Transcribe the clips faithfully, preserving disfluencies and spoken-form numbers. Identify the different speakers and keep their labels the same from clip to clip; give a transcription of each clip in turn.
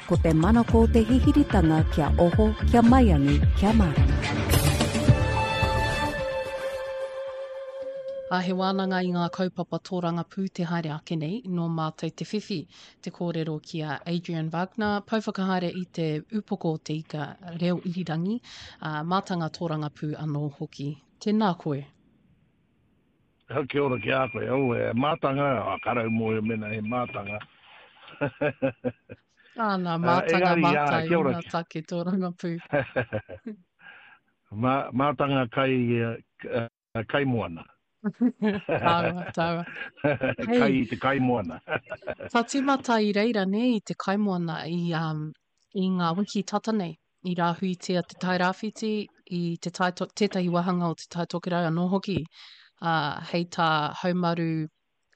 Speaker 1: Ko te manako o te hihiritanga kia oho, kia maiangi, kia mārama.
Speaker 2: A he wānanga i ngā kaupapa tōrangapū te haere ake nei, nō mātou te whiwhi te kōrero ki a Adrian Wagner, pouwhakahaere i te upoko o te ika reo irirangi, ā, mātanga tōrangapū anō hoki. Tēnā koe.
Speaker 3: Kia ora ki a koe. Oh, e mātanga, oh, karau mōhio mena he mātanga.
Speaker 2: Āna, mātanga uh, engari, mātai, uh, kia ora. Ngā take tōrangapū.
Speaker 3: Mā, mātanga kai, uh, kaimoana.
Speaker 2: Tāua, tāua.
Speaker 3: Hey, kai i te kaimoana.
Speaker 2: Ka tīmata i reira, nē, i te kaimoana, i, um, i ngā wiki tata nei, i rāhuitia te Tairāwhiti, i te tai, tētahi wāhanga o te Tai Tokerau anō hoki, uh, hei tā Haumaru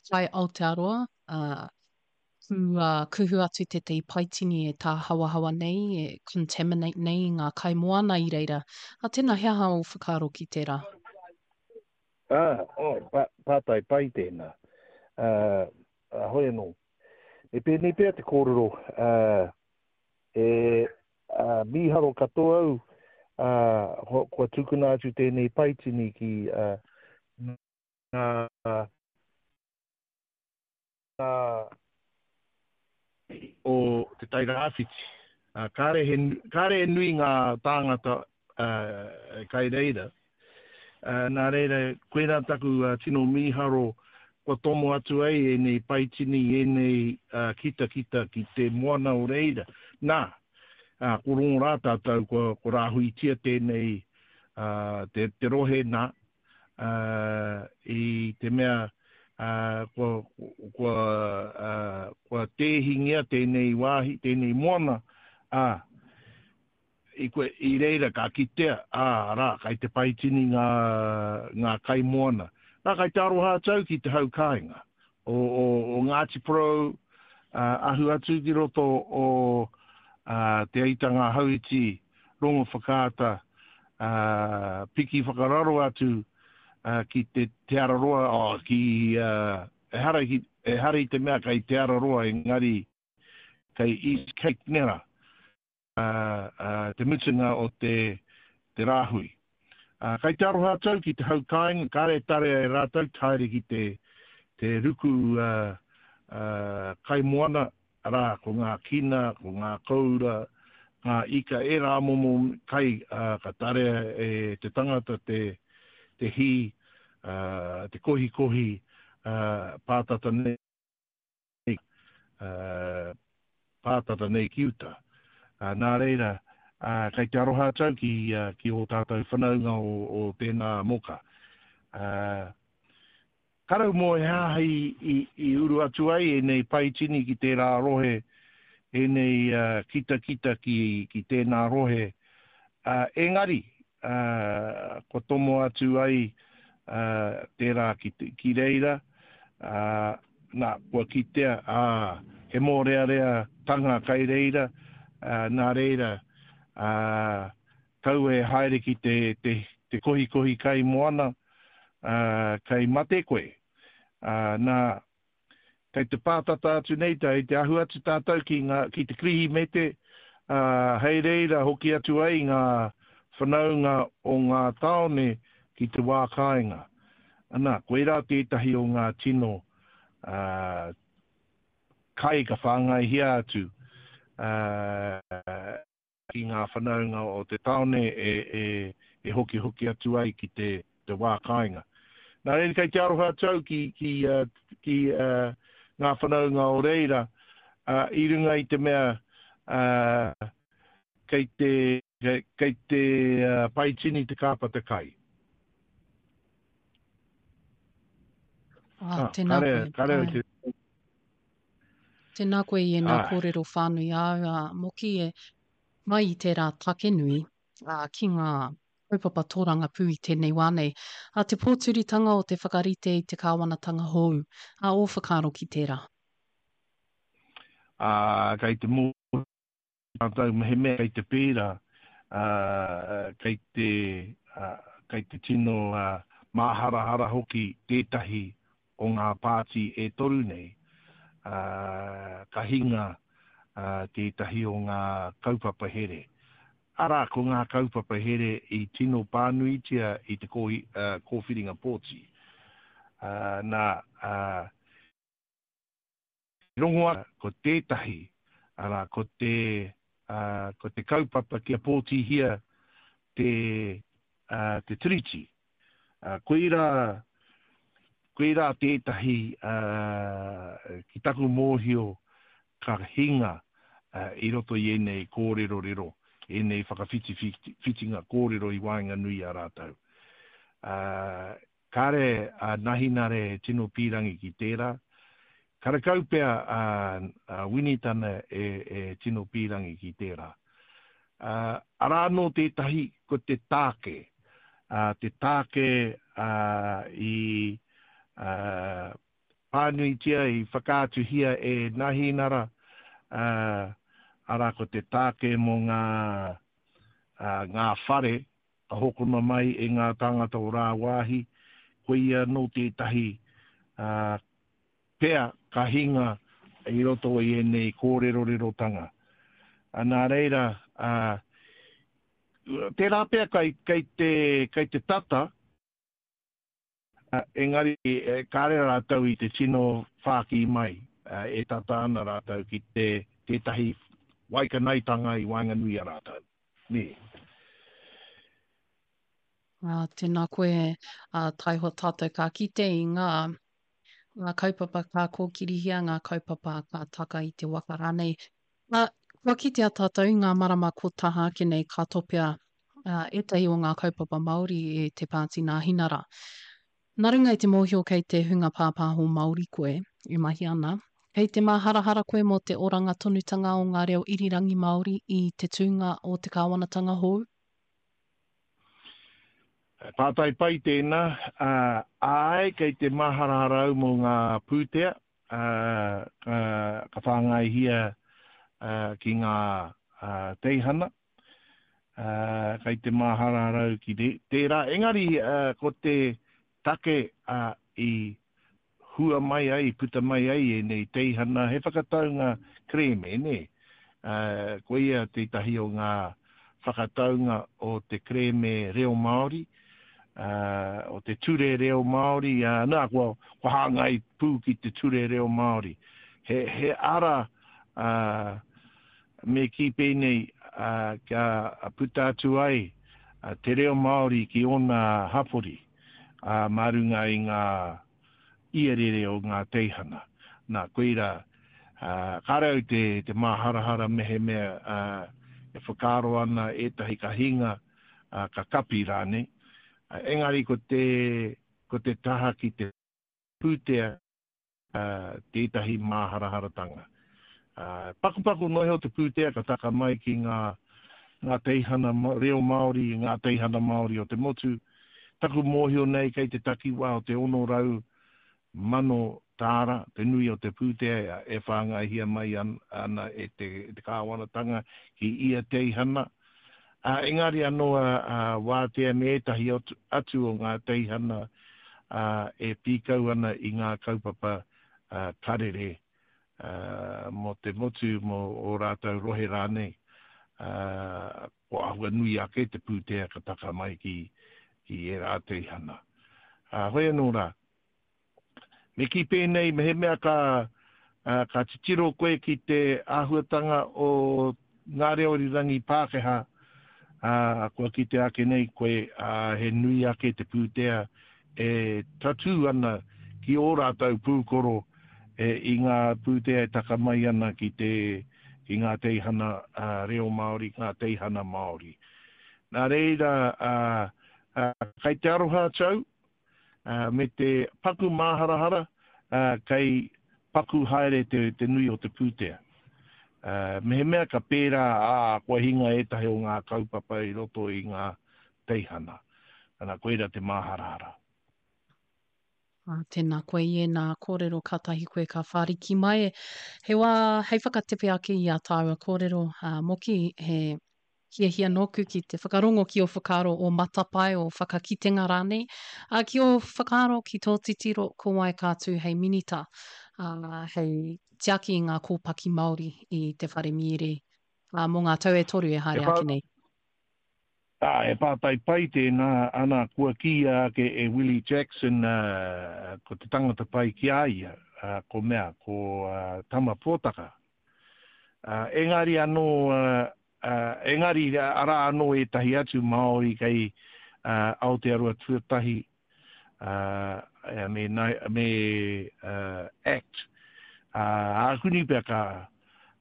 Speaker 2: Kai Aotearoa, uh, kua kuhu atu tētahi paitini e tāhawahawa nei, e contaminate nei i ngā kaimoana i reira. A tēnā, he aha ō whakaaro ki tērā?
Speaker 3: Ah, oh, pa, pātai pai tēnā. Uh, uh, hoi anō. Me pēnei pea te kōrero, uh, e uh, mīharo katoa au, uh, kua tukuna atu tēnei paitini ki uh, ngā ngā o Te Tai Rāwhiti. Uh, kāre, he, kāre e nui ngā tāngata uh, kai reira. Uh, nā reira, koirā taku uh, tino mīharo kua tomo atu ai ēnei paitini, ēnei uh, kitakita ki te moana o reira. Nā, uh, ko rongo rā tātou, kua, kua rāhuitia tēnei uh, te, te rohe nā, uh, i te mea uh, kua, kua, uh, kua tēhingia tēnei wāhi, tēnei moana, uh, i, koe, i reira ka kitea, ā, rā, kai te paitini ngā, ngā kaimoana. Nā, kai te aroha atu ki te hau kāinga o, o, o Ngāti Porou, uh, ahu atu ki roto o uh, Te Aitanga Hauiti, Rongo Whakaata, uh, piki whakararo atu uh, ki te, te Araroa, oh, ki, uh, ehara, ki, ehara i te mea kai Te Araroa, engari kai East Cape nera, uh, uh, te mutunga o te, te rāhui. Uh, kai te aroha atu ki te hau kāinga, kāre tarea e rātou, haere ki te, te ruku uh, uh, kaimoana, arā, ko ngā kina, ko ngā koura, ngā ika, e rā momo kai uh, ka tarea e te tangata te, te hī, uh, te kohikohi uh, pātata nei, uh, pātata nei ki uta. Uh, nā reira, uh, kai te aroha atu ki, uh, ki ō tātou whanaunga o, o tēnā moka. Uh, karau mō e haha i, i, i uru atu ai ēnei paitini ki tērā rohe, ēnei uh, kitakita ki, ki tēnā rohe. Uh, engari, uh, kua tomo atu ai uh, tērā ki, ki reira, uh, nā, kua kitea, ā, he mōrearea tanga kai reira, uh, nā reira, uh, kaua e haere ki te, te, te kohikohi kai moana, uh, kai mate koe. Uh, nā, kei te pātata atu nei, tai te ahu atu tātou ki, ngā, ki te Kirihimete, uh, hei reira hoki atu ai ngā whanaunga o ngā tāone ki te wā kāinga. Ana, koirā tētahi o ngā tino uh, kai ka whāngaihia atu uh, ki ngā whanaunga o te tāone e, e, e hoki hoki atu ai ki te, te wā kāinga. Nā reira kei te aroha atu au ki, ki, uh, ki uh, ngā whanaunga o reira, uh, i runga i te mea uh, kei te, kei, kei te uh, paitini te kāpata kai.
Speaker 2: Ah, tēnā
Speaker 3: kare,
Speaker 2: koe.
Speaker 3: kare
Speaker 2: Ai.
Speaker 3: te...
Speaker 2: Tēnā koe i ēnā
Speaker 3: Ai.
Speaker 2: kōrero whānui āu, ā, Moki e mai i tērā take nui, ā, ki ngā kaupapa tōrangapū i tēnei wā nei. Ā, te pōturitanga o te whakarite i te kāwanatanga hou, ā, ō whakaaro ki tērā?
Speaker 3: Ā, kei te mōhio tātou mehemea kei te pērā, ā, kei te, ā, kei te tino, ā, māharahara hoki tētahi o ngā pāti e toru nei, ā, ka hinga, tētahi o ngā kaupapa here. Arā, ko ngā kaupapa here i tino pānuitia i te kōwhiringa pōti. Nā, rongo ake ko tētahi, arā, ko te, ko te kaupapa kia pōtihia te, te Tiriti. Koirā, koirā tētahi, ki taku mōhio, ka hinga i roto i ēnei kōrerorero, ēnei whakawhitiwhitinga kōrero i waenganui i a rātou. Kāre a Nahinare e tino pīrangi ki tērā, karekau pea a Winitana e tino pīrangi ki tērā. Arā anō tētahi, ko te tāke, te tāke i pānuitia, i whakaatuhia e Nahinara, arā ko te tāke mō ngā, ngā whare ka hokona mai e ngā tāngata o rāwāhi, koia anō tētahi pea ka hinga i roto i ēnei kōrerorerotanga. Nā reira, tērā pea kei, kei te, kei te tata, engari kāre rātou i te tino whāki mai, e tata ana rātou ki te tētahi waikanaetanga i waenganui i a rātou. Nē.
Speaker 2: Ā, tēnā koe, ā, taihoa tātou ka kite i ngā, ngā kaupapa ka kōkirihia, ngā kaupapa ka taka i te waka rānei. Ā, kua kitea tātou i ngā marama ko taha ake nei ka topea ā, ētahi o ngā kaupapa Māori e te Pāti Nāhinara. Nā runga i te mōhio kei te hunga pāpāho Māori koe e mahi ana, kei te māharahara koe mō te oranga tonutanga o ngā reo irirangi Māori i te tūnga o te kāwanatanga hou?
Speaker 3: Pātai pai tēnā. Āe, kei te māharahara au mō ngā pūtea ka whāngaihia ki ngā teihana. Kei te māharahara au ki tērā. Engari ko te take i hua mai ai, i puta mai ai ēnei teihana, he whakataunga kerēme, nē? Koia tētahi o ngā whakataunga o te kerēme reo Māori, o te ture reo Māori, nā, kua, kua hāngai pū ki te ture reo Māori. He, he ara, me kī pēnei, kia puta atu ai te reo Māori ki ōna hapori, mā runga i ngā iarere o ngā teihana. Nā, koirā, kāre au te, te māharahara mehemea e whakaaro ana ētahi ka hinga, ka kapi rānei. Engari ko te, ko te taha ki te pūtea tētahi māharaharatanga. Pakupaku noa iho te pūtea ka taka mai ki ngā, ngā teihana reo Māori, ngā teihana Māori o te motu. Taku mōhio nei kei te takiwā o te ono rau mano tāra te nui o te pūtea e whāngaihia mai ana e te, te kāwanatanga ki ia teihana. Uh, engari anō a, a Wātea me ētahi atu, atu o ngā teihana uh, e pīkau ana i ngā kaupapa uh, karere uh, mō te motu, mō ō rātou rohe rānei. Uh, ko āhua nui ake te pūtea ka taka mai ki, ki ērā teihana. Uh, hoi anō rā, me kī pēnei, mehemea ka, uh, ka titiro koe ki te āhuatanga o ngā reo irirangi Pākehā, uh, kua kite ake nei koe, uh, he nui ake te pūtea e tatū ana ki ō rātou pūkoro e, i ngā pūtea e taka mai ana ki te, ki ngā teihana uh, reo Māori, ngā teihana Māori. Nā reira, uh, uh, kei te aroha atu au, uh, me te paku māharahara, uh, kei paku haere te, te nui o te pūtea. Uh, mehemea ka pērā, ā, kua hinga ētahi o ngā kaupapa i roto i ngā teihana. Ana, koira te māharahara.
Speaker 2: Ā, tēnā koe i ēnā kōrero kātahi koe ka whāriki mai. He wā hei whakatepe ake i ā tāua kōrero, ā, Moki, he hiahia nōku ki te whakarongo ki ō whakaaro, ō matapae, ō whakakitenga rānei, ā, ki ō whakaaro, ki tō titiro, ko wai ka tū hei minita, ā, hei tiaki i ngā kōpaki Māori i te whare mīere ā, mō ngā tau e toru e haere ake nei?
Speaker 3: Ā, he pātai pai tēnā, ana, kua kīia ake e Willie Jackson, ā, ko te tangata pai ki a ia, ā, ko mea, ko Tama Pōtaka. Ā, engari anō, ā, engari arā anō ētahi atu Māori kei Aotearoa Tuatahi, ā, me, me Act, ā, ākuni pea ka,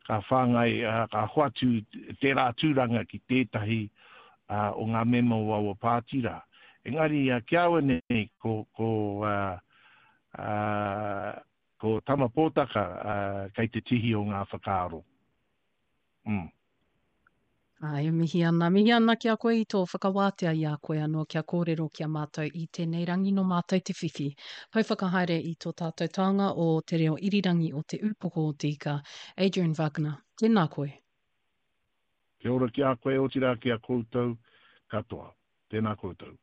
Speaker 3: ka whāngai, ā, ka hoatu tērā tūranga ki tētahi ā, o ngā mema o aua pāti rā. Engari, ā, ki a au nei, ko, ko, ā, ā, ko Tama Pōtaka, ā, kei te tihi o ngā whakaaro. Mm.
Speaker 2: Ā, e mihi ana, mihi ana ki a koe i tō whakawātea i a koe anō kia kōrero ki a mātou i tēnei rangi nō mātou te whiwhi. Pou whakahaere i tō tātou taonga o te reo irirangi o Te Ūpoko o Te Ika, Adrian Wagner, tēnā koe.
Speaker 3: Kia ora ki a koe, otirā ki a koutou katoa. Tēnā koutou.